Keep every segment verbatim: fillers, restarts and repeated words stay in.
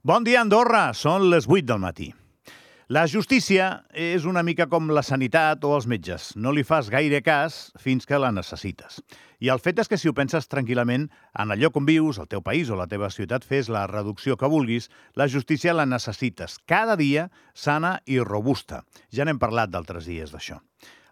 Bon dia, Andorra! Són les vuit del matí. La justícia és una mica com la sanitat o els metges. No li fas gaire cas fins que la necessites. I el fet és que si ho penses tranquil·lament, en el lloc on vius, el teu país o la teva ciutat, fes la reducció que vulguis, la justícia la necessites cada dia sana i robusta. Ja n'hem parlat d'altres dies d'això.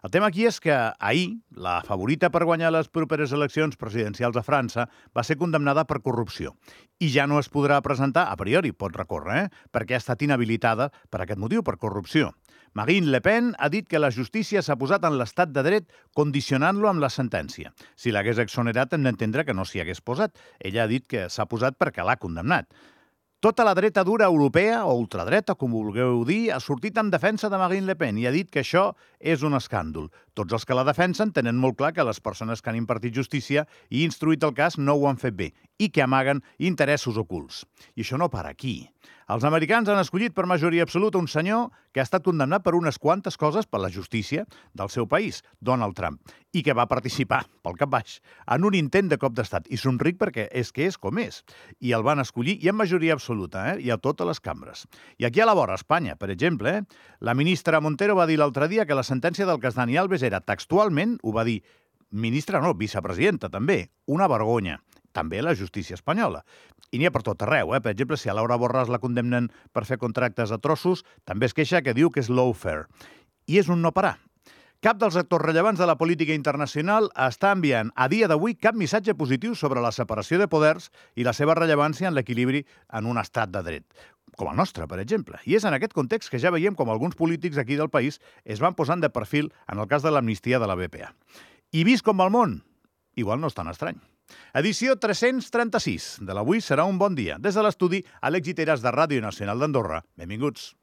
El tema aquí és que ahir, la favorita per guanyar les properes eleccions presidencials a França va ser condemnada per corrupció. I ja no es podrà presentar, a priori pot recórrer, eh? perquè ha estat inhabilitada per aquest motiu, per corrupció. Marine Le Pen ha dit que la justícia s'ha posat en l'estat de dret condicionant-lo amb la sentència. Si l'hagués exonerat hem d'entendre que no s'hi hagués posat. Ella ha dit que s'ha posat perquè l'ha condemnat. Tota la dreta dura europea, o ultradreta, com vulgueu dir, ha sortit en defensa de Marine Le Pen i ha dit que això és un escàndol. Tots els que la defensen tenen molt clar que les persones que han impartit justícia i instruït el cas no ho han fet bé i que amaguen interessos ocults. I això no para aquí. Els americans han escollit per majoria absoluta un senyor que ha estat condemnat per unes quantes coses per la justícia del seu país, Donald Trump, i que va participar, pel cap baix, en un intent de cop d'estat. I somric perquè és que és com és. I el van escollir, i en majoria absoluta, eh? i a totes les cambres. I aquí a la vora, a Espanya, per exemple, eh? la ministra Montero va dir l'altre dia que la sentència del cas Dani Alves era textualment, ho va dir, ministra no, vicepresidenta també, una vergonya. També la justícia espanyola. I n'hi ha per tot arreu, eh? Per exemple, si a Laura Borràs la condemnen per fer contractes a trossos, també es queixa que diu que és lawfare. I és un no parar. Cap dels actors rellevants de la política internacional està enviant a dia d'avui cap missatge positiu sobre la separació de poders i la seva rellevància en l'equilibri en un estat de dret, com el nostre, per exemple. I és en aquest context que ja veiem com alguns polítics aquí del país es van posant de perfil en el cas de l'amnistia de la B P A. I vist com va el món, igual no és tan estrany. Edició tres-cents trenta-sis de l'Avui serà un bon dia. Des de l'estudi, Àlex Giteras de Ràdio Nacional d'Andorra. Benvinguts.